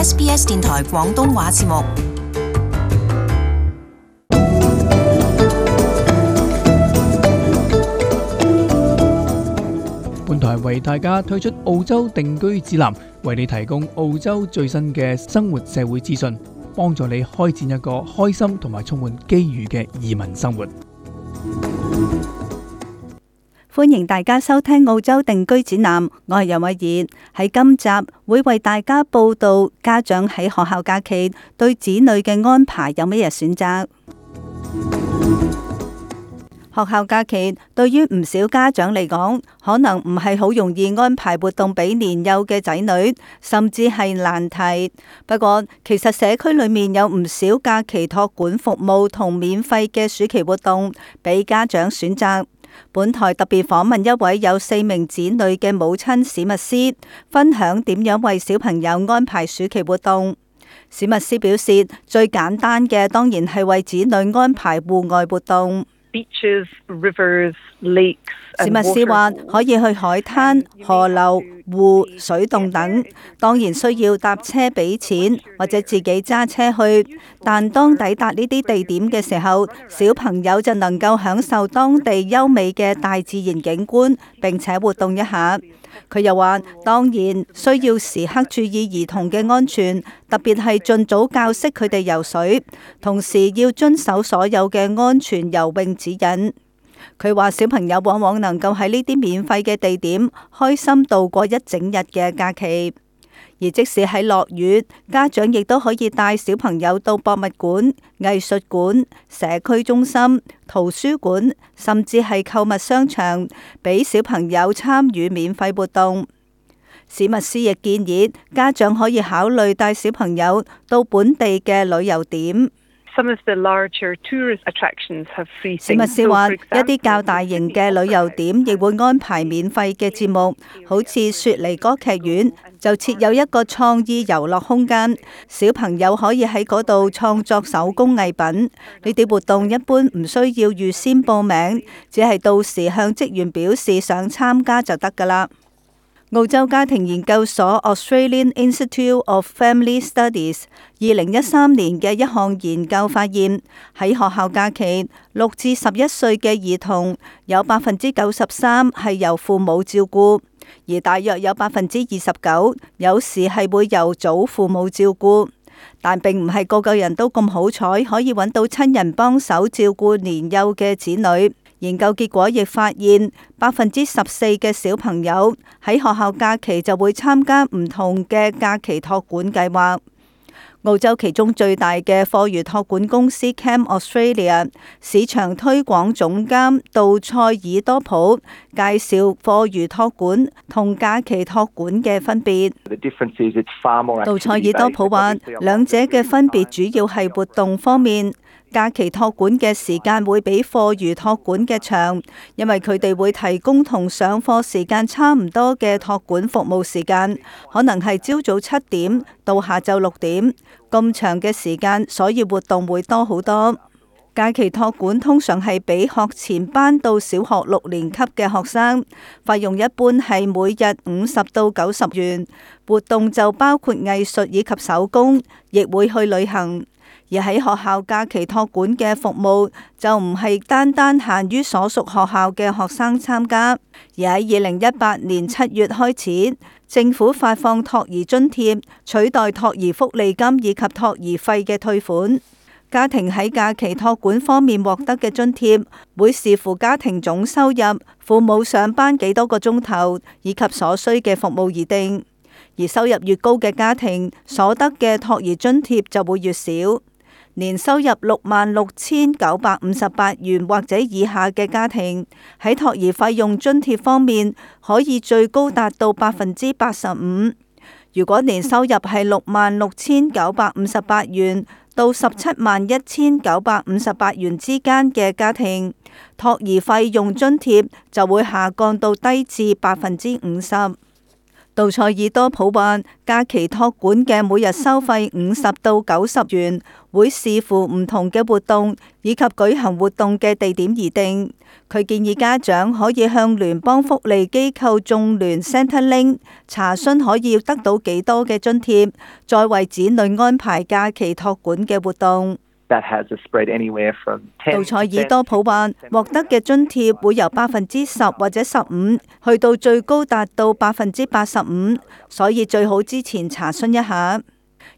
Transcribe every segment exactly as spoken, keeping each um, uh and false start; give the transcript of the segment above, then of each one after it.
S B S 電台廣東話節目。本台為大家推出澳洲定居指南，為你提供澳洲最新嘅生活社會資訊，幫助你開展一個開心同埋充滿機遇嘅移民生活。歡迎大家收聽澳洲定居指南，我係楊慧儀。喺今集會為大家報道家長喺學校假期對子女嘅安排有乜嘢選擇。學校假期對於唔少家長嚟講，可能唔係好容易安排活動俾年幼嘅仔女，甚至係難題。不過，其實社區裏面有唔少假期託管服務同免費嘅暑期活動俾家長選擇。本台特別訪問一位有四名子女嘅母親史密斯，分享點樣為小朋友安排暑期活動。史密斯表示，最簡單嘅當然係為子女安排戶外活動。Beaches, rivers, lakes, 史密斯話可以去海灘、河流、湖、水洞等，當然需要搭車俾錢或者自己揸車去，但當抵達呢啲地點嘅時候，小朋友就能夠享受當地優美嘅大自然景觀，並且活動一下。佢又話，當然需要時刻注意兒童嘅安全，特別係盡早教識佢哋游水，同時要遵守所有嘅安全游泳指引。佢話小朋友往往能夠喺呢啲免費嘅地點開心度過一整日嘅假期，而即使喺落雨，家長亦都可以帶小朋友到博物館、藝術館、社區中心、圖書館，甚至係購物商場，俾小朋友參與免費活動。史密斯亦建議家長可以考慮帶小朋友到本地嘅旅遊點。Some of the larger tourist attractions have free things. 史密斯話，一啲較大型嘅旅遊點亦會安排免費嘅節目，好似雪梨歌劇院就設有一個創意遊樂空間，小朋友可以喺嗰度創作手工藝品。呢啲活動一般唔需要預先報名，只係到時向職員表示想參加就得㗎喇。澳洲家庭研究所 Australian Institute of Family Studies 二零一三年嘅一項研究發現，喺學校假期，六至十一歲嘅兒童有百分之九十三係由父母照顧，而大約有百分之二十九有時係會由祖父母照顧，但並唔係個個人都咁好彩可以揾到親人幫手照顧年幼嘅子女。研究結果亦發現，百分之十四嘅小朋友喺學校假期就會參加唔同嘅假期託管計劃。澳洲其中最大嘅課餘託管公司 Camp Australia 市場推廣總監杜塞爾多普介紹課餘託管同假期託管嘅分別。杜塞爾多普話，兩者嘅分別主要係活動方面。假期託管嘅時間會比課餘託管嘅長，因為佢哋會提供同上課時間差唔多嘅託管服務時間，可能係朝早七點到下晝六點，咁長嘅時間，所以活動會多好多。假期託管通常係俾學前班到小學六年級嘅學生，費用一般係每日五十到九十元，活動就包括藝術以及手工，亦會去旅行。而喺學校假期託管嘅服務就唔係單單限於所屬學校嘅學生參加，而喺二零一八年七月開始，政府發放托兒津貼，取代托兒福利金以及托兒費嘅退款。家庭喺假期託管方面獲得嘅津貼會視乎家庭總收入、父母上班幾多個鐘頭以及所需嘅服務而定。而收入越高嘅家庭，所得嘅托兒津貼就會越少。年收入六萬六千九百五十八元或者以下嘅家庭，喺托兒費用津貼方面可以最高達到百分之八十五。如果年收入係六萬六千九百五十八元到十七萬一千九百五十八元之間嘅家庭，托兒費用津貼就會下降到低至百分之五十。杜塞爾多普話，假期託管嘅每日收費五十到九十元，會視乎唔同嘅活動以及舉行活動嘅地點而定。佢建議家長可以向聯邦福利機構眾聯 Centrelink 查詢可以得到幾多嘅津貼，再為子女安排假期託管嘅活動。杜塞爾多普話，獲得嘅津貼會由百分之十或者十五，去到最高達到百分之八十五，所以最好之前查詢一下。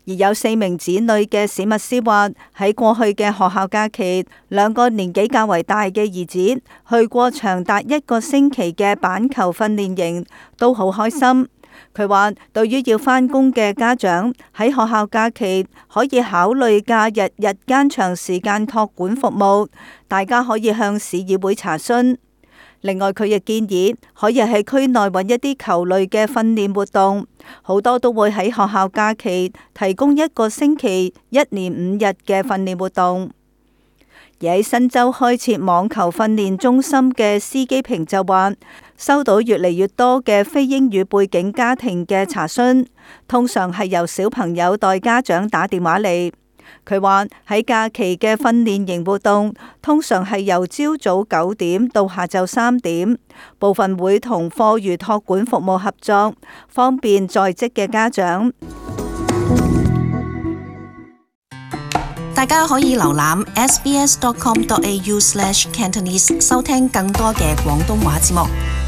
而有四名子女嘅史密斯話，喺過去嘅學校假期，兩個年紀較為大嘅兒子去過長達一個星期嘅板球訓練營，都好開心。佢話，對於要返工嘅家長喺學校假期可以考慮假日日間長時間託管服務，大家可以向市議會查詢。另外，佢亦建議可以喺區內揾一啲球類嘅訓練活動，好多都會喺學校假期提供一個星期一連五日嘅訓練活動。而喺新州開設網球訓練中心嘅司機平就話，收到越嚟越多嘅非英語背景家庭嘅查詢，通常係由小朋友代家長打電話嚟。佢話喺假期嘅訓練營活動通常係由朝早九點到下晝三點，部分會同課餘託管服務合作，方便在職嘅家長。大家可以瀏覽 s b s dot com dot a u slash cantonese 收聽更多嘅廣東話節目。